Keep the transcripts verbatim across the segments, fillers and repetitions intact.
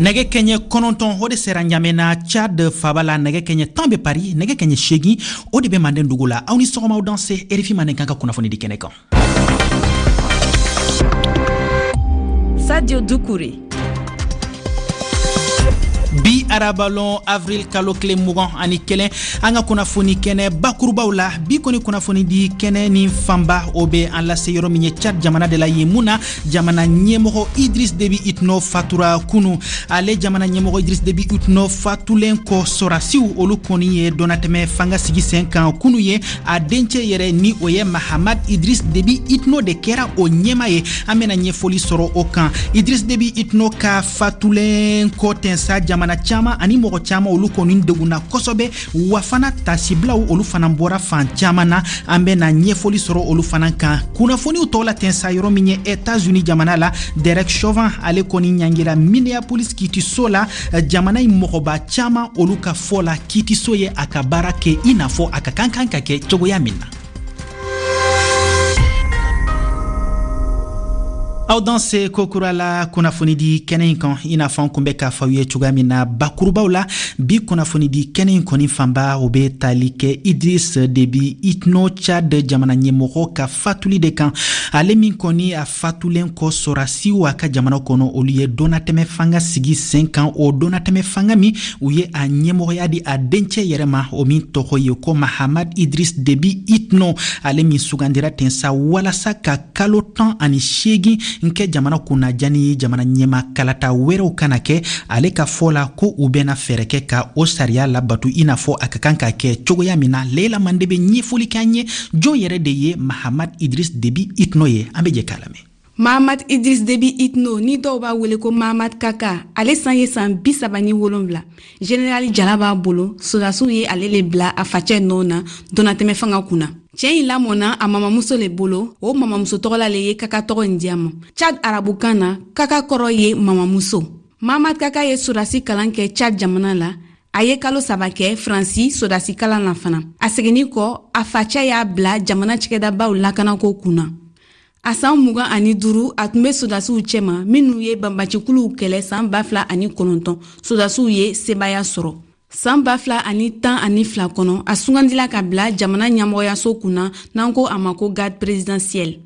Nɛgɛ kɛɲɛ kɔnɔntɔn o de sera Ɲamɛna, Tchad faba la. Nɛgɛ kɛɲɛ tan bɛ Paris, nɛgɛ kɛɲɛ seegin o de bɛ Manden dugu la. Aw ni sɔgɔma, aw danse R F I Mandenkan ka kunnafoni di kɛnɛ kan. Sadio Doucouré. Bi arabalon, avril kalo tile mugan ani kelen, an ka kunnafoni kɛnɛ bakurubaw la, bi kɔni kunnafoni di kɛnɛ ni fanba o be an lase yɔrɔ min ye, Tchad jamana de la. Yen mun na jamana ɲɛmɔgɔ Idris Debi Itno fatura kunu. Ale jamana ɲɛmɔgɔ Idris Debi Itno fatulen kɔ, sɔrasiw olu kɔni ye dɔnatɛmɛ fanga sigi sen kan kunu ye. A dencɛ yɛrɛ ni o ye Mahamad Idris Debi Itno de kɛra o ɲɛma ye. An bena ɲɛfɔli sɔrɔ o kan. Idris Debi Itno ka fatulen kɔ ten sa, jamana caaman ani mɔgɔ caaman olu kɔni degunna kosɛbɛ, wa fana tasibilaw olu fana bɔra fan caaman na. An bena ɲɛfɔli sɔrɔ olu fana kan kunnafoniw tɔw la ten sa. Yɔrɔ min ye Etats-Unis jamana la, Derek Chauvin ale kɔni ɲangira Minneapolis kitiso la. Jamana in mɔgɔba caaman olu ka fɔ la, kitiso ye a ka baara kɛ i n'a fɔ a ka kan kan ka kɛ cogoya min na. Aw danse kokura la kunnafoni di kɛnɛ in kan. I n'a fɔ an kun bɛ k'a fɔ aw ye cogoya min na bakurubaw la, bi kunnafoni di kɛnɛ in kɔni fanba o bɛ tali kɛ Idris Debi Itno, Tchad jamana ɲɛmɔgɔ ka fatuli de kan. Ale min kɔni a fatulen kɔ, sɔrasiw a ka jamana kɔnɔ olu ye dɔnnatɛmɛ fanga sigi sen kan. O dɔnnatɛmɛ fanga min, u ye a ɲɛmɔgɔya di a dencɛ yɛrɛ ma, o min tɔgɔ ye ko Mahamad Idris Debi Itno. Ale min sugandira ten sa walasa ka kalo tan ani seegin n kɛ jamana kunnajani, jamana ɲɛma kalata wɛrɛw kana kɛ. Ale ka fɔ la ko u bɛna fɛɛrɛ kɛ ka o sariya labatu i n'a fɔ a ka kan ka kɛ cogoya min na. Leila Mande bɛ ɲɛfɔli k'an ye jɔn yɛrɛ de ye Mahamad Idris Debi Itno ye. An bɛ jɛ k'a lamɛn. Mahamad Idris Debi Itno, ni dɔw b'a wele ko Mahamad Kaka, ale san ye san bi saba ni wolonfila. Generali jala b'a bolo. Sodasiw ye ale le bila a facɛ nɔ na donnatɛmɛ fanga kunna. Cɛɛ in lamɔna a mamamuso le bolo. O mamamuso tɔgɔla le ye Kaka tɔgɔ in di a ma. Chad arabukan na, Kaka kɔrɔ ye mamamuso. Mahamad Kaka ye sodasi kalan kɛ Chad jamana la. A ye kalo saba kɛ Faransi sodasi kalan na fana. A seginni kɔ, a facɛ y'a bila jamana cɛgɛdabaw lakanako kunna. A san mugan ani duuru, a tun be sodasiw cɛma minnu ye banbacikuluw kɛlɛ san ba fila ani kɔnɔntɔn. Sodasiw ye sebaya sɔrɔ san ba fila ani tan ani fila kɔnɔ. A sugandila ka bila jamana ɲɛmɔgɔyaso kunna, n'an ko a ma ko garde présidentielle.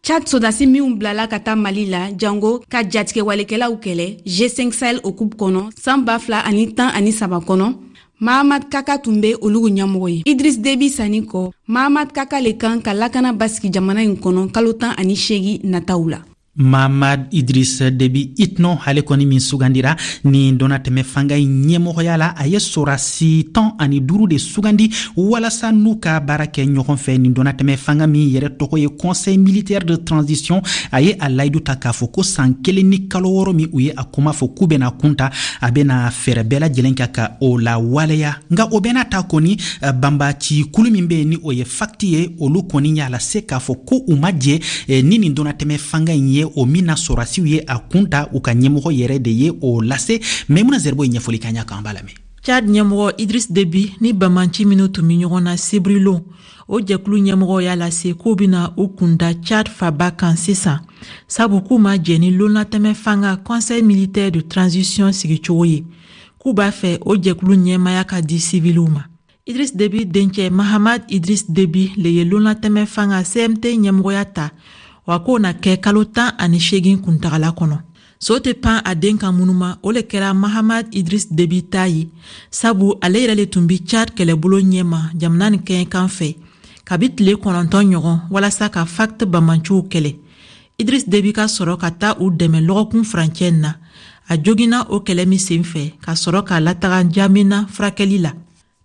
Chad sodasi minw bilala ka taa Mali la jango ka jatigɛwalekɛlaw kɛlɛ G cinq Sahel o kɔnɔ san ba fila ani tan ani saba kɔnɔ, Mahamad Kaka tun be olugu ɲɛmɔgɔ ye. Idris Debi sanni kɔ, Mahamad Kaka le kan ka lakana basigi jamana in kɔnɔ kalo tan ani seegi nataw la. Mamad Idris Debi Itno, ale kɔni min sugandira ni dɔnnatɛmɛ fanga in ɲɛmɔgɔya la, a ye sɔrasi tan ani duuru de sugandi walasa n'u ka baara kɛ ɲɔgɔn fɛ. Nin dɔnnatɛmɛ fanga min yɛrɛ tɔgɔ ye Conseil militaire de transition, a ye a layidu ta k'a fɔ ko san kelen ni kalo wɔɔrɔ min u ye a kuma fɔ k'u bɛna kunta, a bɛna fɛɛrɛ bɛɛ lajɛlen kɛ ka o lawaleya. Nka o bɛɛ n'a ta kɔni, banbaci kulu min bɛ yen ni o ye FACT ye, olu kɔni y'a lase k'a fɔ ko u ma jɛ ni nin dɔnnatɛmɛ fanga in ye, o min na sɔrasiw ye a kun ta. U ka ɲɛmɔgɔ yɛrɛ de ye o lase. Maimuna Zerbo ye ɲɛfɔli k'an ɲa kan, an b'a lamɛn. Chad ɲɛmɔgɔ Idris Debi ni banbanci minnu tun bɛ ɲɔgɔn na sibirilon, o jɛkulu ɲɛmɔgɔ y'a lase k'u bɛna u kunda Chad faba kan sisan, sabu k'u ma jɛ ni lonnatɛmɛ fanga Conseil militaire de transition sigicogo ye, k'u b'a fɛ o jɛkulu ɲɛmaya ka di siviliw ma. Idris Debi dencɛ Mahamad Idris Debi le ye lonnatɛmɛ fanga C M T ɲɛmɔgɔya ta, wa k'o na kɛ kalo tan ani seegin kuntagala kɔnɔ. So tɛ pan a den kan munuma, o le kɛra Mahamad Idris Debi ta ye, sabu ale yɛrɛ le tun bi Chad kɛlɛbolo ɲɛma jamana nin kɛɲɛkan fɛ kabi tile kɔnɔntɔn ɲɔgɔn walasa ka FACT bamanciw kɛlɛ. Idris Debi ka sɔrɔ ka taa u dɛmɛ lɔgɔkun furancɛ na. A joginna o kɛlɛ min sen fɛ, ka sɔrɔ k'a lataga Jamina furakɛli la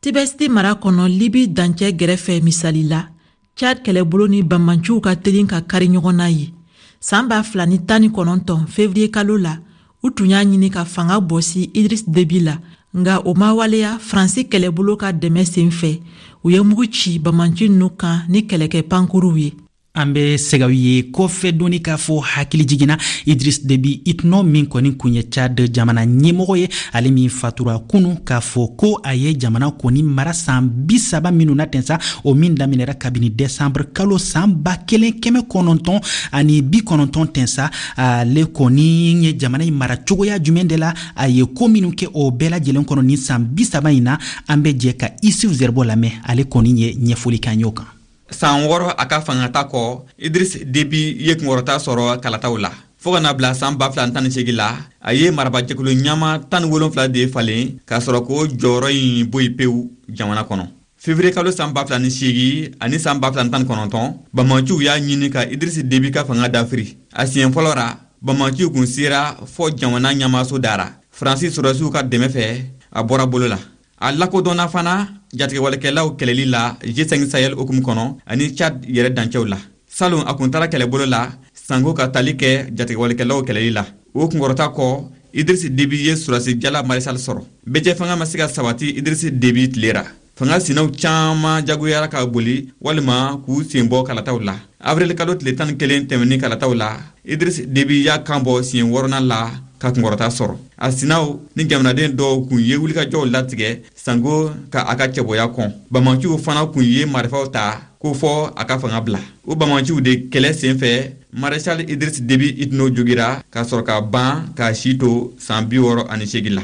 Tibesti mara kɔnɔ, Libi dancɛ gɛrɛfɛ. Misali la, Chad kɛlɛbolo ni banbanciw ka telin ka kari ɲɔgɔn na ye. San ba fila ni tan ni kɔnɔntɔn fevriye kalo la, u tun y'a ɲini ka fanga bɔsi Idris Debi la, nga o ma waleya. Faransi kɛlɛbolo ka dɛmɛ sen fɛ, u ye mugu ci banbanci nunu kan ni kɛlɛkɛ pankuruw ye. An bɛ sɛgɛw ye kɔfɛ dɔɔni k'a fɔ hakili jiginna Idriss Déby Itno min kɔni kun ye Tchad jamana ɲɛmɔgɔ ye, ale min fatura kunu, k'a fɔ ko a ye jamana kɔni mara san bi saba minnu na ten sa, o min daminɛra kabini décembre kalo san ba kelen kɛmɛ kɔnɔntɔn ani bi kɔnɔntɔn ten sa. Ale kɔni ye jamana in mara cogoya jumɛn de la, a ye ko minnu kɛ o bɛɛ lajɛlen kɔnɔ nin san bi saba in na, an bɛ jɛ ka Isuf Zerbo lamɛn, ale kɔni ye ɲɛfɔli k'an y'o kan. San wɔɔrɔ a ka fangata kɔ, Idris Debi ye kunkɔrɔta sɔrɔ kalataw la fɔɔ ka na bila san ba fila tan ni segi la. A ye marabajɛkulu ɲama tan ni wolonfila de falen k'a sɔrɔ k'o jɔyɔrɔ in bɔ yen pewu jamana kɔnɔ. Fevrier kalo san ba fila ni seegi ani san ba fila tan ni kɔnɔntɔn, bamaciw y'a ɲini ka Idris Debi ka fanga dafiri. A siɲɛ fɔlɔ ra, bamaciw kun sera fɔ jamana ɲɛmaaso dara. Faransi sɔrɔdasiw ka dɛmɛ fɛ, a bɔra bolo la. A lakodɔnna fana jatigɛwalekɛlaw kɛlɛli la G cinq Sahel hukumu kɔnɔ ani Tchad yɛrɛ dancɛw la. Salon, a kun taara kɛlɛbolo la sanko ka tali kɛ jatigɛwalekɛlaw kɛlɛli la. O kunkɔrɔta kɔ, Idris Debi ye sɔrɔdasi jala maréchal sɔrɔ. Bɛjɛ fanga ma se ka sabati Idris Debi tile ra. Fanga sinaw caaman jagoyara ka boli walima k'u sen bɔ kalataw la. Avril kalo tile tan ni kelen tɛmɛni kalataw la, Idris Debi y'a kan bɔ siɲɛ wɔɔrɔnan la ka kunkɔrɔta sɔrɔ. A sinaw ni jamanaden dɔw kun ye wulikajɔw latigɛ sanko ka a ka cɛbɔya kɔn. Bamaciw fana kun ye marifaw ta ko fɔ a ka fanga bila. O bamaciw de kɛlɛ sen fɛ, maréchal Idris Debi Itno jogira ka sɔrɔ ka ban k'a si to san bi wɔɔrɔ ani seegin la.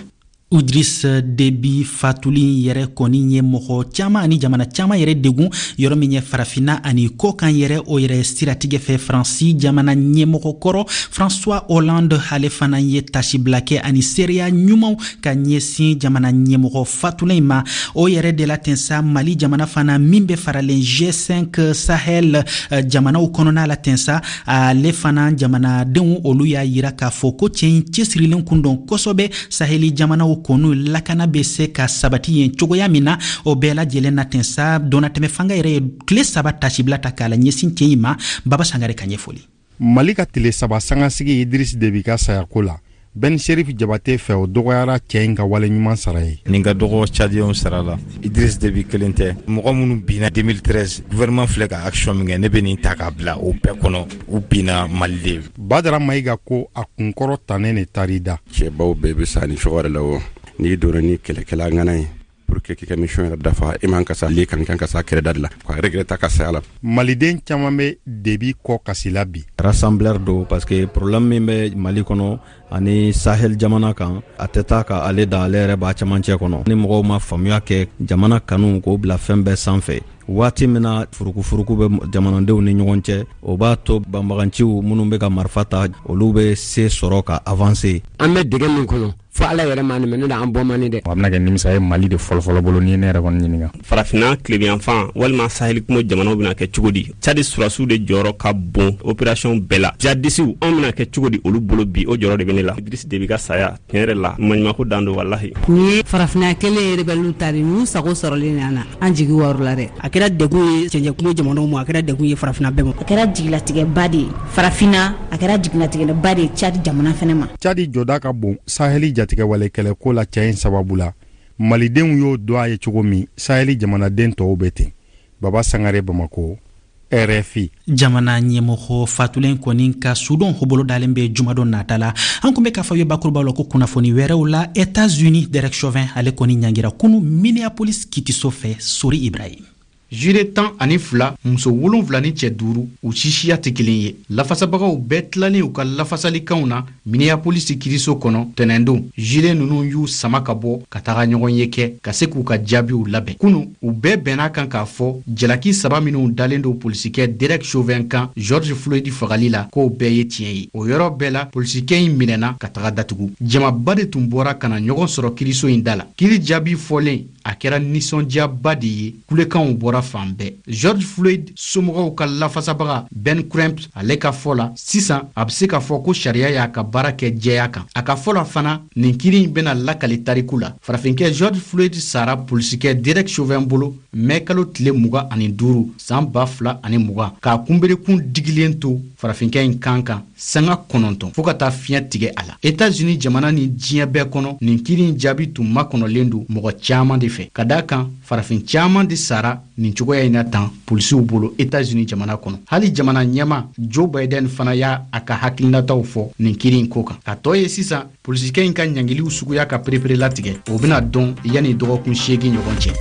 Idriss Déby fatuli yɛrɛ kɔni ye mɔgɔ caman ani jamana caman yɛrɛ degun, yɔrɔ min ye farafinna ani kɔkan yɛrɛ. O yɛrɛ siratigɛ fɛ, Faransi jamana ɲɛmɔgɔ kɔrɔ François Hollande, ale fana ye tasibila kɛ ani seereya ɲumanw ka ɲɛsin jamana ɲɛmɔgɔ fatulen in ma. O yɛrɛ de la ten sa, Mali jamana fana min bɛ faralen G cinq Sahel jamanaw kɔnɔna la ten sa, ale fana jamanadenw olu y'a yira k'a fɔ ko cɛ in cɛsirilen kun dɔn kosɛbɛ Saheli jamanaw kɔnɔ, lakana bɛ se ka sabati yen cogoya min na. O bɛɛ lajɛlen na ten sa, donnatɛmɛ fanga yɛrɛ ye tile saba tasibila ta k'a la ɲɛsin cɛ in ma. Baba Sangare ka ɲɛfɔli. Mali ka tile saba sangasigi Idris Debi ka sayako la, Ben Sherif Jabate fɛ, o dɔgɔyara cɛ in ka wale ɲuman sara ye. Nin ka dɔgɔ Tchadiyɛnw sara la. Idris Debi kelen tɛ. Mɔgɔ minnu binna deux mille treize, gouvernement filɛ ka action min kɛ, ne bɛ nin ta k'a bila o bɛɛ kɔnɔ. U binna Mali de. Badara Mayiga ko a kunkɔrɔ tannen de taar'i da. Cɛbaw bɛɛ bɛ sa ni cogo de la. O n'i donna ni kɛlɛkɛla ŋana ye pour que k'i ka mission yɛrɛ dafa, i man ka sa le kan, kan ka sa kɛrɛda de la ka regretter ka saya la. Maliden caman bɛ Debi kɔ kasi la bi. Rassembleur don, parce que problème min bɛ Mali kɔnɔ ani Sahel jamana kan, a tɛ taa ka ale da, ale yɛrɛ b'a camancɛ kɔnɔ. Ni mɔgɔw ma faamuya kɛ, jamana kanu k'o bila fɛn bɛɛ sanfɛ, waati min na furukufuruku bɛ jamanadenw ni ɲɔgɔn cɛ, o b'a to banbaganciw minnu bɛ ka marifa ta, olu bɛ se sɔrɔ ka avancer. An bɛ dɛgɛ min kɔnɔ, fo Ala yɛrɛ ma nin ne an bɔ man dɛ. A bɛna kɛ nimisa ye Mali de fɔlɔfɔlɔ bolo ni ne yɛrɛ kɔni ɲininka. Farafinna tilebiyanfan walima Saheli kungo jamanaw bɛna kɛ cogo di? Cadi surasiw de jɔyɔrɔ ka bon opération bɛɛ la. Jadisiw, anw bɛna kɛ cogo di olu bolo bi? O jɔyɔrɔ de bɛ ne la. Idris Debi ka saya, tiɲɛ yɛrɛ la, maɲumako dan don, walahi. Nin ye farafinna kelen ye, rebelle ta de n'u sago sɔrɔlen na na, an jigi wɔrɔ la dɛ. A kɛra degun ye cɛncɛn kungo jamanaw ma, a kɛra degun ye farafinna bɛɛ ma. A kɛra jigilatigɛba de ye farafinna, a kɛra jigilatigɛba de ye Cadi jamana fɛnɛ ma. Cadi jɔda ka bon Saheli jatigɛwale kɛlɛko la cɛ in sababu la. Malidenw y'o dɔn a ye cogo min, Saheli jamanaden tɔw bɛ ten. Baba Sangare, Bamako, R F I. Jamana ɲɛmɔgɔ fatulen kɔni ka sudon bolo dalen bɛ jumadon nata la. An kun bɛ k'a fɔ ye bakurubaw la ko kunnafoni wɛrɛw la, Etats-Unis, Derek Chauvin, ale kɔni ɲangira kunu Minneapolis kitiso fɛ. Sori Ibrahim. Jure tan ani fila, muso wolonfila ni cɛ duuru, u sisiya tɛ kelen ye. Lafasabagaw bɛɛ tilalen u ka lafasalikanw na Minneapolis kiriso kɔnɔ tɛnɛndon, jure ninnu y'u sama ka bɔ ka taga ɲɔgɔn ye kɛ ka se k'u ka jaabiw labɛn. Kunu, u bɛɛ bɛnna kan k'a fɔ jalaki saba minw dalen don polisikɛ Derek Chauvin kan George Floyd fagali la, k'o bɛɛ ye tiɲɛ ye. O yɔrɔ bɛɛ la, polisikɛ in minɛna ka taga datugu. Jamaba de tun bɔra ka na ɲɔgɔn sɔrɔ kiriso in da la. Kiri jaabi fɔlen, a kɛra nisɔndiyaba de ye, kulekanw bɔra fan bɛɛ. George Floyd somɔgɔw ka lafasabaga Ben Crump, ale ka fɔ la, sisan a bɛ se k'a fɔ ko sariya y'a ka baara kɛ jɛya kan. A ka fɔ la fana, nin kiri in bɛna lakali tariku la. Farafinkɛ George Floyd sara polisikɛ Derek Chauvin bolo. mɛ kalo tile mugan ani duuru san ba fila ani mugan, k'a kunberekun digilen to farafinkɛ in kan kan sanga kɔnɔntɔn fɔɔ ka taa fiɲɛ tigɛ a la. Etats-Unis jamana ni diɲɛ bɛɛ kɔnɔ, nin kiri in jaabi tun makɔnɔlen don mɔgɔ caaman de fɛ, ka daa kan farafin caaman de sara nin cogoya in na tan polisiw bolo Etats-Unis jamana kɔnɔ. Hali jamana ɲɛma Joe Biden fana y'a a ka hakilinataw fɔ nin kiri in ko kan. Ka tɔ ye sisan, polisikɛ in ka ɲangiliw suguya ka perepere latigɛ, o bɛna dɔn yanni dɔgɔkun seegin ɲɔgɔn cɛ.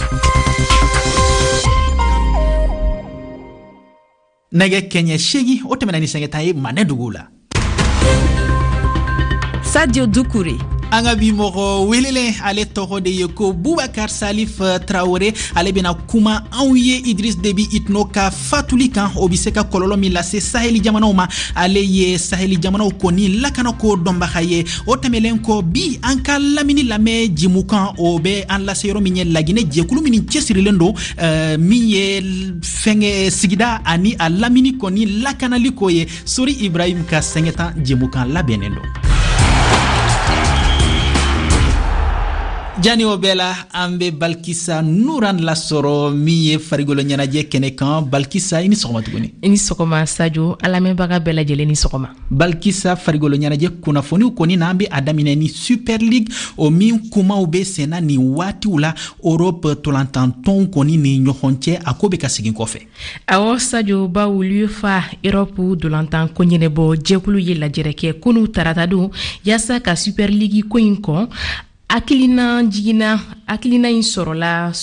Nɛgɛ kɛɲɛ seegin o tɛmɛna ni sɛgɛta ye Manɛ dugu la. Sadio Dukure. An ka bi mɔgɔ welelen, ale tɔgɔ de ye ko Bubakar Salif Traore. Ale bɛna kuma anw ye Idris Deby Itno ka fatuli kan, o bɛ se ka kɔlɔlɔ min lase saheli jamanaw ma. Ale ye saheli jamanaw kɔni lakanako dɔnbaga ye. O tɛmɛlen kɔ, bi an ka lamini lamɛn jimukan, o bɛ an lase yɔrɔ min ye Laginɛ jɛkulu min cɛsirilen don uh, min ye fɛngɛ sigida ani a lamini kɔni lakanali ko ye. Sori Ibrahim ka sɛngɛtan jimukan labɛnnen don. Jani o bɛɛ la, an bɛ Balkisa Nuran lasɔrɔ min ye farikolo ɲɛnajɛ kɛnɛ kan. Balkisa, i ni sɔgɔma tuguni. I ni sɔgɔma Sadio, an lamɛnbaga bɛɛ lajɛlen ni sɔgɔma. Balkisa, farikolo ɲɛnajɛ kunnafoniw kɔni na, an bɛ a daminɛ ni Super League, o min kumaw bɛ senna nin waatiw la Europe tolantantɔnw kɔni ni ɲɔgɔn cɛ, a ko bɛ ka segin kɔfɛ. Awɔ Sadio, bawo l'UEFA Europe dolantan ko ɲɛnabɔ jɛkulu ye lajɛrɛ kɛ kunu taratadon yaasa ka Super League ko in kɔn. Hakilina jiginna, hakilina in sɔrɔla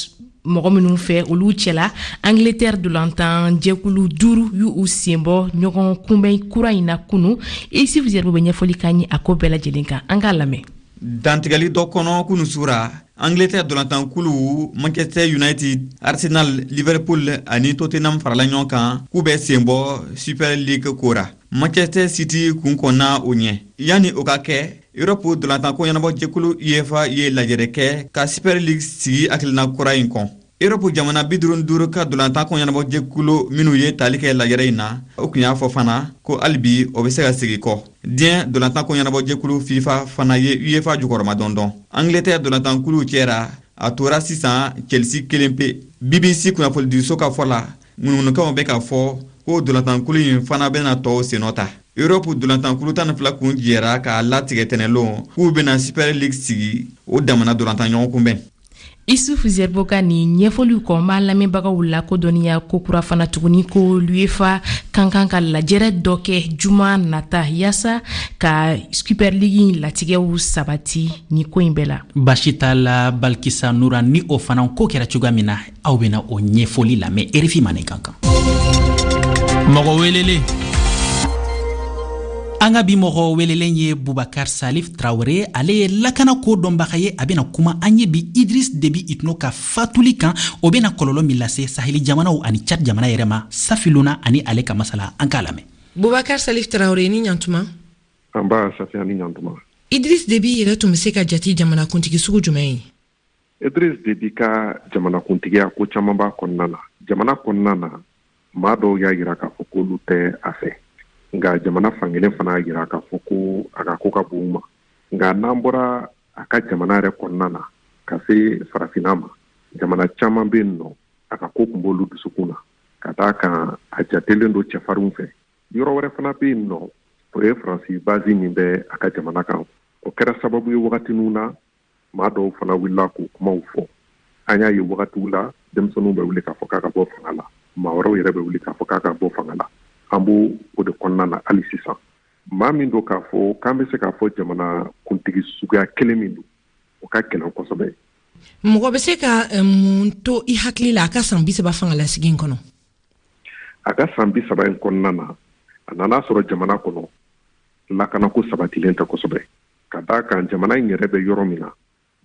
mɔgɔ minnu fɛ, olu cɛla Angleterre dolantan jɛkulu duuru y'u sen bɔ ɲɔgɔn kunbɛn kura in na kunu. Isuf Zerbo bɛ ɲɛfɔli k'an ye a ko bɛɛ lajɛlen kan, an k'a lamɛn. Dantigɛli dɔ kɔnɔ kunu sura, Angleterre dolantankulu Manchester United, Arsenal, Liverpool ani Tottenham farala ɲɔgɔn kan k'u bɛ sen bɔ Super League ko ra. Manchester City kun kɔnna o ɲɛ. Yanni o ka kɛ, Europe dolantanko ɲɛnabɔ jɛkulu UEFA ye lajɛrɛ kɛ ka Super League sigi hakilina kura in kɔn. Europe jamana bi duuru ni duuru ka dolantanko ɲɛnabɔ jɛkulu minnu ye tali kɛ lajɛrɛ in na, o tun y'a fɔ fana ko hali bi o bɛ se ka segin kɔ. Diɲɛ dolantanko ɲɛnabɔ jɛkulu FIFA fana ye UEFA jukɔrɔma dɔndɔn. Angleterre dolantankuluw cɛra, a tora sisan Chelsea kelen pe. B B C kunnafonidiso ka fɔ la, ŋunuŋunukanw bɛ ka fɔ ko dolantankulu in fana bɛna tɔw sennɔ ta. Europe dolantankulu tan ni fila kun jɛra k'a latigɛ tɛnɛlon k'u bɛna Super League sigi o damana dolantan ɲɔgɔn kunbɛn. Isuf Zerbo ka nin ɲɛfɔliw kɔ, n b'a lamɛnbagaw lakodɔnniya ko kura fana tuguni ko l'UEFA kan kan ka lajɛrɛ dɔ kɛ juma nata yaasa ka Super League in latigɛw sabati ni ko in bɛɛ la. Basi t'a la Balkisa Nura, ni o fana ko kɛra cogoya min na, aw bɛna o ɲɛfɔli lamɛn R F I Mandenkan kan. Mɔgɔ welelen. An ka bi mɔgɔ welelen ye Bubakar Salif Traore. Ale ye lakana ko dɔnbaga ye. A bɛna kuma an ye bi Idris Deby Itno ka fatuli kan, o bɛna kɔlɔlɔ min lase saheli jamanaw ani Tchad jamana yɛrɛ ma. Safiluna ani ale ka masala, an k'a lamɛn. Bubakar Salif Traore, ni ɲantuma. An b'a Safi, ni ɲantuma. Idris Deby yɛrɛ tun bɛ se ka jate jamanakuntigi sugu jumɛn ye? Idris Deby ka jamanakuntigiya, ko caman b'a kɔnɔna na. Jamana kɔnɔna na, maa dɔw y'a yira k'a fɔ k'olu tɛ a fɛ, nka jamana fankelen fana y'a yira k'a fɔ ko a ka ko ka bon u ma. Nka n'an bɔra a ka jamana yɛrɛ kɔnɔna na ka se farafinna ma, jamana caman bɛ yen nɔ, a ka ko tun b'olu dusukun na, ka d'a kan a jatelen don cɛfarinw fɛ. Yɔrɔ wɛrɛ fana bɛ yen nɔ, o ye Faransi base min bɛ a ka jamana kan. O kɛra sababu ye wagatiniw na, maa dɔw fana wulila k'o kumaw fɔ. An y'a ye wagatiw la, denmisɛnninw bɛ wuli k'a fɔ k'a ka bɔ fanga la, maa wɛrɛw yɛrɛ bɛ wuli k'a fɔ k'a ka bɔ fanga la. An b'o o de kɔnɔna na hali sisan. Maa min don k'a fɔ k'an bɛ se k'a fɔ jamana kuntigi suguya kelen min don, o ka gɛlɛn kosɛbɛ. Mɔgɔ bɛ se ka mun to i hakili la a ka san bi saba fangalasigi in kɔnɔ? A ka san bi saba in kɔnɔna na, a nana sɔrɔ jamana kɔnɔ lakanako sabatilen tɛ kosɛbɛ, ka d'a kan jamana in yɛrɛ bɛ yɔrɔ min na,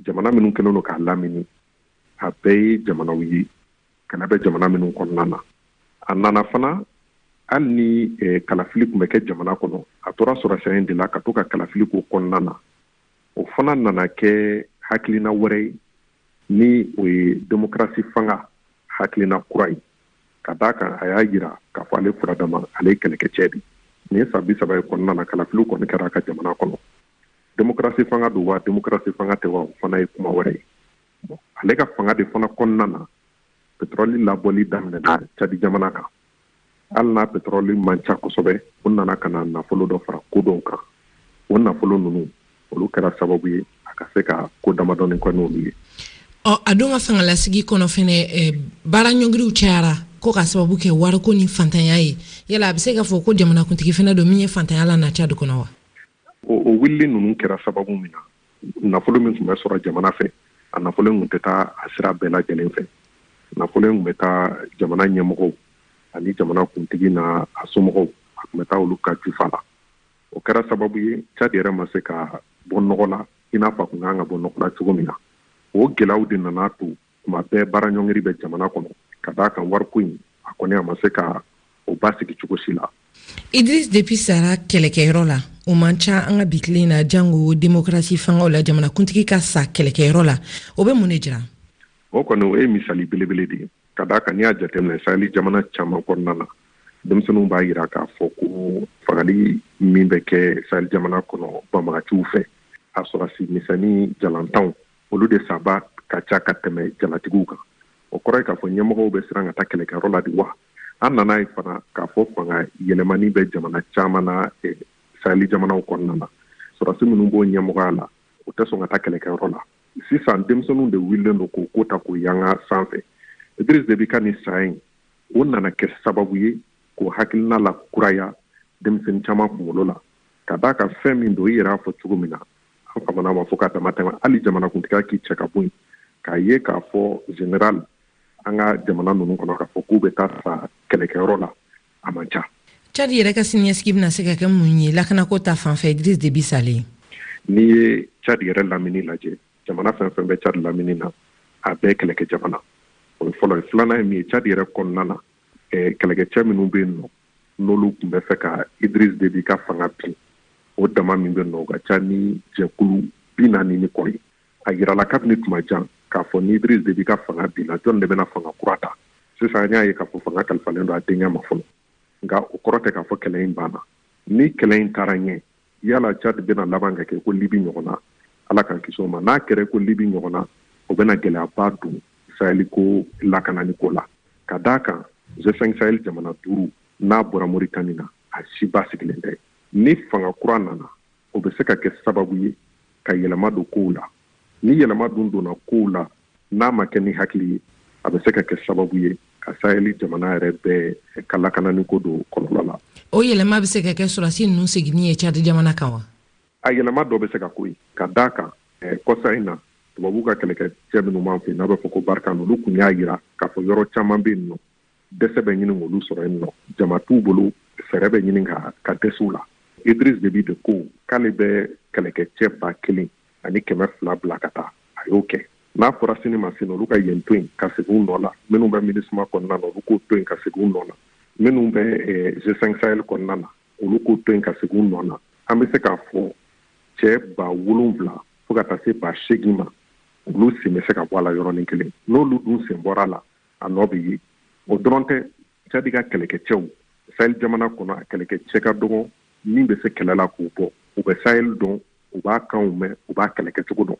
jamana minnu kɛlen don k'a lamini, a bɛɛ ye jamanaw ye kɛlɛ bɛ jamana minnu kɔnɔna na. A nana fana, hali ni eh, kalafili tun bɛ kɛ jamana kɔnɔ, a tora sɔrɔsiya in de la ka to ka kalafili k'o kɔnɔna na. O fana nana kɛ hakilina wɛrɛ ye, ni o ye démocratie fanga hakilina kura ye, ka d'a kan a y'a yira k'a fɔ ale furadama, ale ye kɛlɛkɛcɛ de. Nin ye san bi saba ye kɔnɔna na, kalafiliw kɔni kɛra a ka jamana kɔnɔ. Démocratie fanga don wa démocratie fanga tɛ wa, o fana ye kuma wɛrɛ ye. Bon, ale ka fanga de fana kɔnɔna na, Pétrole labɔli daminɛna Tchad jamana kan. Hali n'a pétrole man ca kosɛbɛ, o nana ka na nafolo dɔ fara ko dɔw kan. O nafolo ninnu, olu kɛra sababu ye a ka se ka ko damadɔni kɛ n'olu ye. Ɔ, a don ka fangalasigi kɔnɔ fɛnɛ, baara ɲɔngiriw cayara ko ka sababu kɛ wariko ni fantanya ye. Yala a bɛ se k'a fɔ ko jamanakuntigi fɛnɛ don min ye fantanya la na Tchad kɔnɔ wa? O, o wulili ninnu kɛra sababu min na, nafolo min tun bɛ sɔrɔ jamana fɛ, a nafolo in tun tɛ taa a sira bɛɛ lajɛlen fɛ. Nafolo in tun bɛ taa jamana ɲɛmɔgɔw ani jamana kuntigi n'a a somɔgɔw, a tun bɛ taa olu ka jufa la. O kɛra sababu ye Tchad yɛrɛ ma se ka bɔ nɔgɔ la i n'a fɔ a tun kan ka bɔ nɔgɔ la cogo min na. O gɛlɛyaw de nana to tuma bɛɛ baara ɲɔngiri bɛ jamana kɔnɔ, ka d'a kan wariko in a kɔni a ma se ka o basigi cogo si la. Idriss Déby sara kɛlɛkɛyɔrɔ la, o man ca an ka bi tile in na, jango démocratie fangaw la, jamanakuntigi ka sa kɛlɛkɛyɔrɔ la, o bɛ mun de jira? O kɔni o ye misali belebele de ye, ka d'a kan n'i y'a jateminɛ Sahel jamana caman kɔnɔna na, denmisɛnninw b'a yira k'a fɔ ko fagali min bɛ kɛ Sahel jamana kɔnɔ banbagaciw fɛ, a sɔrɔsi misɛnnin jalantanw, olu de saba ka ca ka tɛmɛ jalatigiw kan. O kɔrɔ ye k'a fɔ ɲɛmɔgɔw bɛ siran ka taa kɛlɛkɛyɔrɔ la de wa? An nana ye fana k'a fɔ fanga yɛlɛmani bɛ jamana caman na Sahel jamanaw kɔnɔna na. Sɔrɔsi minnu b'o ɲɛmɔgɔya la, o tɛ sɔn ka taa kɛlɛkɛyɔrɔ la. Sisan denmisɛnninw de wulilen don k'o ko ta k'o yanga sanfɛ. Idriss Déby ka nin saya in, o nana kɛ sababu ye k'o hakilina la kuraya denmisɛnnin caman kunkolo la, ka d'a kan fɛn min don, i yɛrɛ y'a fɔ cogo min na, an famana ma fo ka dama tɛmɛ. Hali jamanakuntigiya k'i cɛ ka bɔ yen, k'a ye k'a fɔ général an ka jamana ninnu kɔnɔ k'a fɔ k'u bɛ taa sa kɛlɛkɛyɔrɔ la, a man ca. Tchad yɛrɛ ka siniɲɛsigi bɛna se ka kɛ mun ye lakanako ta fan fɛ Idriss Déby salen? N'i ye Tchad yɛrɛ lamini lajɛ, jamana fɛn fɛn bɛ Tchad lamini na, a bɛɛ kɛlɛkɛ jamana. O ye fɔlɔ ye. Filanan ye min ye, Tchad yɛrɛ kɔnɔna na, kɛlɛkɛcɛ minnu bɛ yen nɔ, n'olu tun bɛ fɛ ka Idriss Déby ka fanga bin, o dama min bɛ yen nɔ, o ka ca ni jɛkulu bi naani ni kɔ ye. A yirala kabini tuma jan k'a fɔ ni Idriss Déby ka fanga binna, jɔn de bɛna fanga kura ta? Sisan an y'a ye k'a fɔ fanga kalifalen don a denkɛ ma fɔlɔ, nka o kɔrɔ tɛ k'a fɔ kɛlɛ in banna. Ni kɛlɛ in taara ɲɛ, yala Tchad bɛna laban ka kɛ ko Libi ɲɔgɔn na? Ala k'an kisi o ma. N'a kɛra ko Libi ɲɔgɔn na, o bɛna gɛlɛyaba don Sahel ko lakanani ko la, ka d'a kan G cinq Sahel jamana duuru n'a bɔra Mauritanie na, a si basigilen tɛ. Ni fanga kura nana, o bɛ se ka kɛ sababu ye ka yɛlɛma don kow la. Ni yɛlɛma dun donna kow la, n'a ma kɛ ni hakili ye, a bɛ se ka kɛ sababu ye ka Sahel jamana yɛrɛ bɛɛ ka lakanani ko don kɔlɔlɔ la. O yɛlɛma bɛ se ka kɛ sɔrɔdasi ninnu seginni ye Tchad jamana kan wa? A yɛlɛma dɔ bɛ se ka k'o ye, ka d'a kan kɔsa in na, tubabuw ka kɛlɛkɛcɛ minnu b'an fɛ yen n'a bɛ fɔ ko Barkhane, olu tun y'a yira k'a fɔ yɔrɔ caman bɛ yen nɔ, dɛsɛ bɛ ɲini k'olu sɔrɔ yen nɔ, jama t'u bolo, fɛɛrɛ bɛ ɲini ka ka dɛsɛ u la. Idriss Déby de ko k'ale bɛ kɛlɛkɛcɛ ba kelen ani kɛmɛ fila bila ka taa, a y'o kɛ. N'a fɔra sini ma sini, olu ka yen to yen ka segin u nɔ la. Minnu bɛ MINUSMA kɔnɔna na, olu k'o to yen ka segin u nɔ la. Minnu bɛ G cinq Sahel kɔnɔna na, olu k'o to yen ka segin u nɔ la. An bɛ se k'a fɔ cɛ ba wolonwula fo ka taa se ba seegin ma, olu sen bɛ se ka bɔ a la yɔrɔnin kelen. N'olu dun sen bɔra a la, a nɔ bɛ ye. O dɔrɔn tɛ, Tchad ka kɛlɛkɛcɛw Sahel jamana kɔnɔ, a kɛlɛkɛcɛ ka dɔgɔ min bɛ se kɛlɛ la k'u bɔ. U bɛ Sahel dɔn, u b'a kanw mɛn, u b'a kɛlɛkɛcogo dɔn.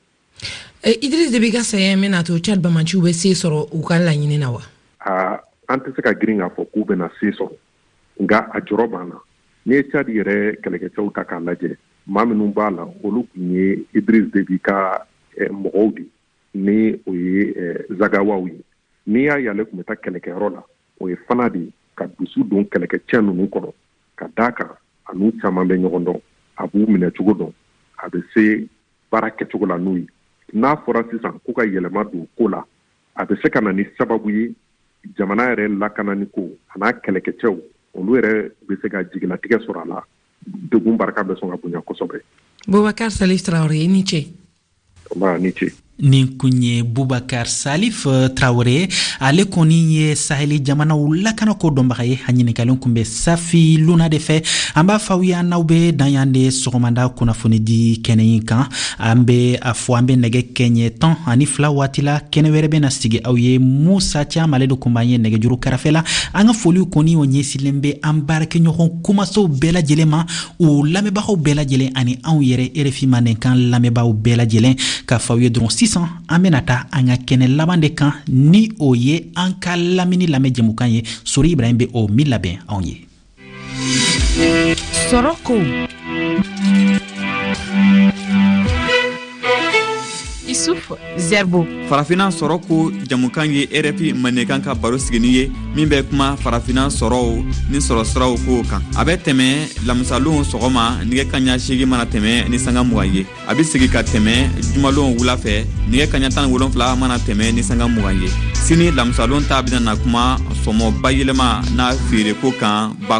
Idriss Déby ka saya in bɛna to Tchad bamaciw bɛ se sɔrɔ u ka laɲini na wa? Aa, an tɛ se ka girin k'a fɔ k'u bɛna se sɔrɔ, nka a jɔrɔ b'an na. N'i ye Tchad yɛrɛ kɛlɛkɛcɛw ta k'a lajɛ, maa minnu b'a la, olu tun ye Idriss Déby ka mɔgɔw de, ni o ye Zagawaw ye. N'i y'a ye ale tun bɛ taa kɛlɛkɛyɔrɔ la, o ye fana de ka dusu don kɛlɛkɛcɛ ninnu kɔrɔ, ka d'a kan a n'u caman bɛ ɲɔgɔn dɔn, a b'u minɛ cogo dɔn, a bɛ se baara kɛcogo la n'u ye. N'a fɔra sisan k'u ka yɛlɛma don ko la, a bɛ se ka na ni sababu ye jamana yɛrɛ lakanani ko a n'a kɛlɛkɛcɛw, olu yɛrɛ bɛ se ka jigilatigɛ sɔrɔ a la. Degun barika bɛ sɔn ka bonya kosɛbɛ. Boubacar Salif Traoré, i ni ce. Nba, ni ce. Nin kun ye Boubacar Salif Traoré, ale kɔni ye Saheli jamanaw lakanako dɔnbaga ye. A ɲininkalen kun bɛ Safi Luna de fɛ. An b'a fɔ aw ye, an n'aw bɛ dan yan de sɔgɔmada kunnafoni di kɛnɛ in kan. An bɛ a fɔ an bɛ nɛgɛ kɛɲɛ tan ani fila waati la, kɛnɛ wɛrɛ bɛ na sigi aw ye. Musa Caam, ale de kun b'an ye nɛgɛjuru kɛrɛfɛ la. An ka foliw kɔni o ɲɛsilen bɛ an baarakɛɲɔgɔn kumasow bɛɛ lajɛlen ma, u lamɛnbagaw bɛɛ lajɛlen ani anw yɛrɛ R F I Mandenkan lamɛnbaaw bɛɛ lajɛlen. K'a fɔ aw ye dɔrɔn sisan Sisan an bena taa an ka kɛnɛ laban de kan, ni o ye an ka lamini lamɛn jɛmukan ye. Sori Ibrahim be o min labɛn anw ye. Sɔrɔ ko Isuf Zerbo. Farafina sɔrɔ ko jamukan ye R F I Mandenkan ka baro sigini ye min bɛ kuma farafina sɔrɔw ni sɔrɔsiraw kow kan. A bɛ tɛmɛ lamisalon sɔgɔma nɛgɛ kaɲa seegin mana tɛmɛ ni sanga mugan ye. A bɛ segi ka tɛmɛ jumalon wula fɛ nɛgɛ kaɲa tan ni wolonfila mana tɛmɛ ni sanga mugan ye. Sini lamisalon ta bɛna na kuma sɔmɔ bayɛlɛma n'a feereko kan ba.